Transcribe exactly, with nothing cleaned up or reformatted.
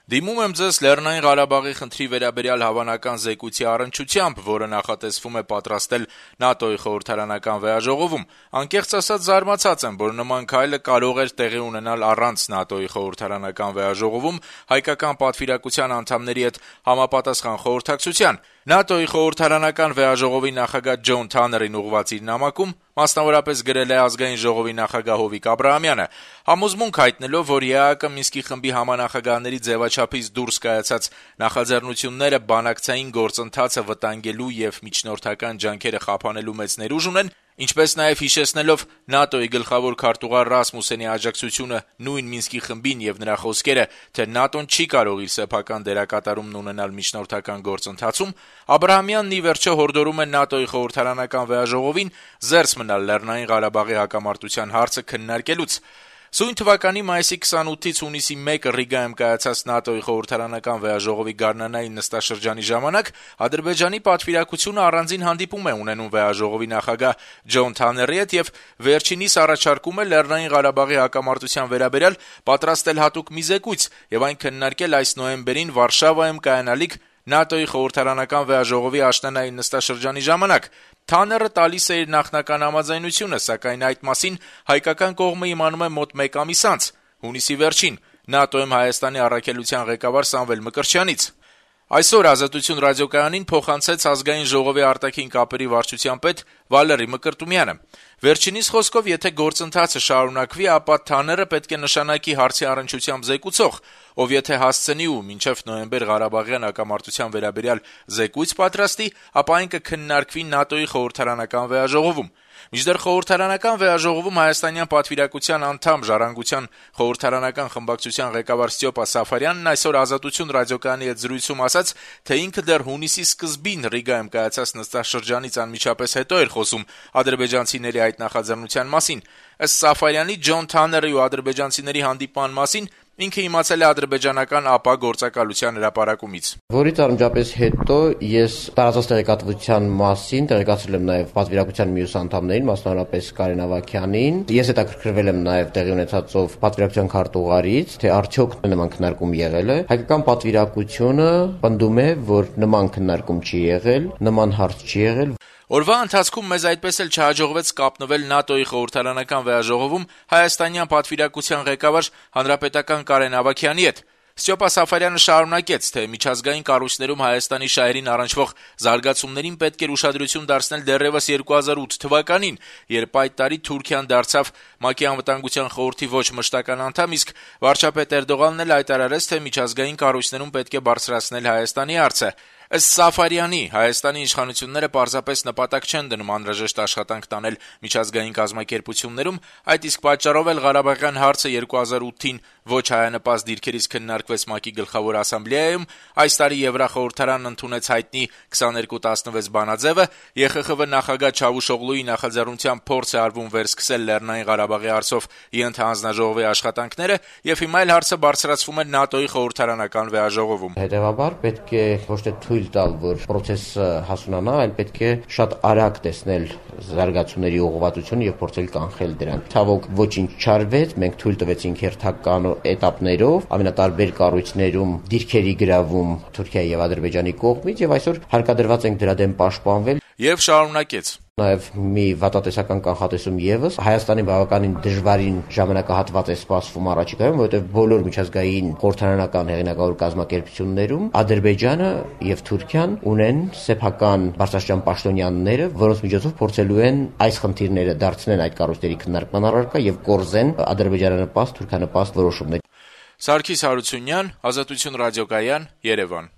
Դիմում եմ ձեզ Լեռնային Ղարաբաղի խնդրի վերաբերյալ հավանական զեկույցի առնչությամբ, որը նախատեսվում է պատրաստել ՆԱՏՕ-ի խորհրդարանական վեհաժողովում։ Անկեղծ ասած զարմացած եմ, որ նման քայլը կարող էր տեղի ունենալ առանց ՆԱՏՕ-ի խորհրդարանական վեհաժողովում հայկական պատվիրակության անդամների հետ համապատասխան խորհրդակցության։ ՆԱՏՕ-ի խորհրդարանական վեհաժողովի նախագահ Ջոն Թաներին ուղղված իր նամակում մասնավորապես գրել է Ազգային ժողովի նախագահ Հովիկ Աբրահամյանը, համոզմունք հայտնելով, որ ԵԱՀԿ Մինսկի խմբի համանախագահների ձևաչափից դուրս կայացած նախաձեռնությունները բանակցային գործընթացը վտանգելու եւ միջնորդական ջանքերը խափանելու մեծ ներուժ ունեն, ինչպես նաեւ հիշեցնելով ՆԱՏՕ-ի գլխավոր քարտուղար Ռասմուսենի աջակցությունը նույն Մինսկի խմբին եւ նրա խոսքերը, թե ՆԱՏՕ-ն չի կարող իր սեփական դերակատարումն ունենալ միջնորդական գործընթացում, Աբրահամյանն ի վերջո հորդորում է ՆԱՏՕ-ի խորհրդարանական վեհաժողովին զերծ մնալ Լեռնային Ղարաբաղի հակամարտության հարցը քննարկելուց։ Սույն թվականի մայիսի քսանութից հունիսի մեկը Ռիգայում կայացած ՆԱՏՕ-ի խորհրդարանական վեհաժողովի գարնանային նստաշրջանի ժամանակ Ադրբեջանի պատվիրակությունը առանձին հանդիպում է ունենում վեհաժողովի նախագահ Ջոն Թաների հետ եւ վերջինիս առաջարկում է Լեռնային Ղարաբաղի հակամարտության վերաբերյալ պատրաստել հատուկ մի զեկույց եւ այն քննարկել այս նոյեմբերին Վարշավայում կայանալիք ՆԱՏՕ-ի խորհրդարանական վեհաժողովի աշնանային նստաշրջանի ժամանակ։ Թաները տալիս է իր նախնական համաձայնությունը, սակայն այդ մասին հայկական կողմը իմանում է մոտ մեկ ամիս անց, հունիսի վերջին, ՆԱՏՕ-ում Հայաստանի առաքելության ղեկավար Սամվել Մկրտչյանից։ Այսօր «Ազատություն» ռադիոկայանին փոխանցեց Ազգային ժողովի արտաքին կապերի վարչության պետ Վալերի Մկրտումյանը։ Վերջինիս խոսքով, եթե գործընթացը շարունակվի, ապա Թաները պետք է նշանակի հարցի առնչությամբ զեկուցող, ով եթե հասցնի ու մինչև նոյեմբեր Ղարաբաղյան հակամարտության վերաբերյալ զեկույց պատրաստի, ապա այն կքննարկվի ՆԱՏՕ-ի խորհրդարանական վեհաժողովում։ Մինչդեռ խորհրդարանական վեհաժողովում հայաստանյան պատվիրակության անդամ Ժառանգության խորհրդարանական խմբակցության ղեկավար Ստյոպա Սաֆարյանն այսօր «Ազատություն» ռադիոկայանի հետ զրույցում ասաց, թե ինքը դեռ հունիսի սկզբին Ռիգայում կայացած նստաշրջանից անմիջապես հետո էր խոսում ադրբեջանցիների այդ նախաձեռնության մասին։ Ըստ Սաֆարյանի, Ջոն Թաների ու ադրբեջանցիների հանդիպման մասին ինքը իմացել է ադրբեջանական ԱՊԱ գործակալության հրապարակումից։ Որից անմիջապես հետո ես տարածած տեղեկատվության մասին տեղեկացրել եմ նաև պատվիրակության մյուս անդամներին, մասնավորապես Կարեն Ավագյանին։ Ես հետաքրքրվել եմ նաև տեղի ունեցածով պատվիրակության քարտուղարից, թե արդյոք նման քննարկում եղել է։ Հայկական պատվիրակությունը պնդում է, որ նման քննարկում չի եղել, նման հարց չի եղել։ Օրվա ընթացքում մեզ այդպես էլ չհաջողվեց կապնվել ՆԱՏՕ-ի խորհրդարանական վեհաժողովում հայաստանյան պատվիրակության ղեկավար հանրապետական Կարեն Ավագյանի հետ։ Ստյոպա Սաֆարյանը շարունակեց, թե միջազգային կառույցներում Հայաստանի շահերին առնչվող զարգացումներին պետք էր ուշադրություն դարձնել դեռևս երկու հազար ութ թվականին, երբ այդ տարի Թուրքիան դարձավ ՄԱԿ-ի անվտանգության խորհրդի ոչ մշտական անդամ, իսկ վարչապետ Էրդողանն էլ հայտարարեց, թե միջազգային կառույցներում պետք է բարձրացնել Հայաստանի հարցը։ Ըստ Սաֆարյանի, Հայաստանի իշխանությունները պարզապես նպատակ չեն դնում անհրաժեշտ աշխատանք տանել միջազգային կազմակերպություններում, այդ իսկ պատճառով էլ Ղարաբաղյան հարցը երկու հազար ութին ոչ հայանպաստ դիրքերից քննարկվեց ՄԱԿ-ի գլխավոր ասամբլեայում, այս տարի Եվրախորհրդարանն ընդունեց հայտնի քսաներկու տասնվեց բանաձևը, ԵԽԽՎ նախագահ Չավուշօղլուի նախաձեռնությամբ փորձ է արվում վերսկսել Լեռնային Ղարաբաղի հարցով ենթահանձնաժողովի աշխատանքները, եւ հիմա էլ հարցը բարձրացվում է ՆԱՏՕ-ի խորհրդարանական վեհաժողովում։ Հետևաբար պետք է ոչ թե թույլ տալ, որ process-ը հասունանա, այլ պետք է շատ արագ տեսնել զարգացումների ուղղվածությունը եւ փորձել կանխել դրանք։ Ցավոք ոչինչ չարվեց, մենք թույլ տվեցինք հերթական էտապներով, ամենատարբեր կառույցներում դիրքերի գրավում Թուրքիայի եւ Ադրբեջանի կողմից եւ այսօր հարկադրված ենք դրա դեմ պաշտպանվել։ Եվ շարունակեց. Նաև մի վատատեսական կանխատեսում եւս Հայաստանի բավականին դժվարին ժամանակահատված է սպասվում առաջիկայում, որովհետեւ բոլոր միջազգային խորհրդարանական հեղինակավոր կազմակերպություններում Ադրբեջանը եւ Թուրքիան ունեն սեփական բարձրաստիճան պաշտոնյաները, որոնց միջոցով փորձելու են այս խնդիրները դարձնել այդ կառույցների քննարկման առարկա եւ կորզեն ադրբեջանանպաստ, թուրքանպաստ որոշումներ։ Սարգիս Հարությունյան, Ազատություն ռադիոկայան, Երևան։